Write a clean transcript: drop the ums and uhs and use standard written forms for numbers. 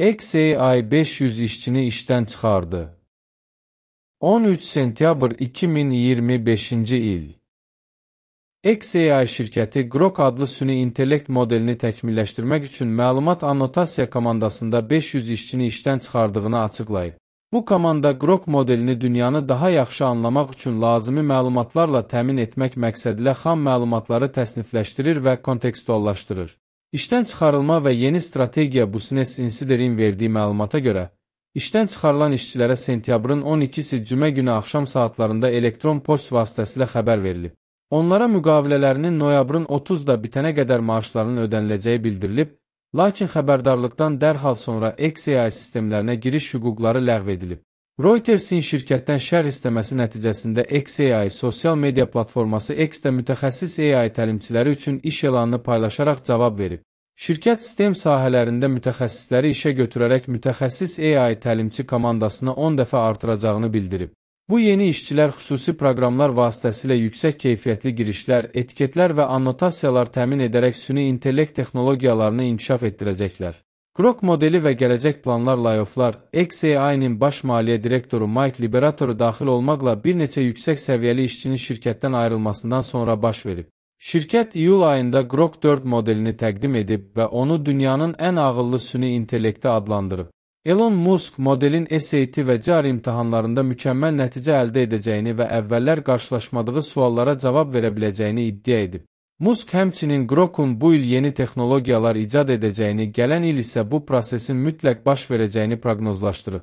XAI 500 işçini işdən çıxardı. 13 sentyabr 2025-ci il. XAI şirkəti Grok adlı süni intellekt modelini təkmilləşdirmək üçün məlumat annotasiya komandasında 500 işçini işdən çıxardığını açıqlayıb. Bu komanda Grok modelini dünyanı daha yaxşı anlamaq üçün lazımi məlumatlarla təmin etmək məqsədilə xam məlumatları təsnifləşdirir və kontekstuallaşdırır. İşdən çıxarılma və yeni strategiya Business Insider'in verdiyi məlumata görə, işdən çıxarılan işçilərə sentyabrın 12-si cümə günü axşam saatlarında elektron poçt vasitəsilə xəbər verilib. Onlara müqavilələrinin noyabrın 30-da bitənə qədər maaşlarının ödəniləcəyi bildirilib, lakin xəbərdarlıqdan dərhal sonra XAI sistemlərinə giriş hüquqları ləğv edilib. Reutersin şirkətdən şərh istəməsi nəticəsində XAI sosial media platforması X-də mütəxəssis AI təlimçiləri üçün iş elanını paylaşaraq cavab verib. Şirkət sistem sahələrində mütəxəssisləri işə götürərək mütəxəssis AI təlimçi komandasını 10 dəfə artıracağını bildirib. Bu yeni işçilər xüsusi proqramlar vasitəsilə yüksək keyfiyyətli girişlər, etiketlər və annotasiyalar təmin edərək süni intellekt texnologiyalarını inkişaf etdirəcəklər. Grok modeli və gələcək planlar layofflar, XAI-nin baş maliyyə direktoru Mike Liberatoru daxil olmaqla bir neçə yüksək səviyyəli işçinin şirkətdən ayrılmasından sonra baş verib. Şirkət iyul ayında Grok 4 modelini təqdim edib və onu dünyanın ən ağıllı süni intellekti adlandırıb. Elon Musk modelin SAT və CAR imtahanlarında mükəmməl nəticə əldə edəcəyini və əvvəllər qarşılaşmadığı suallara cavab verə biləcəyini iddia edib. Musk həmçinin Grokun bu il yeni texnologiyalar icad edəcəyini, gələn il isə bu prosesin mütləq baş verəcəyini proqnozlaşdırıb.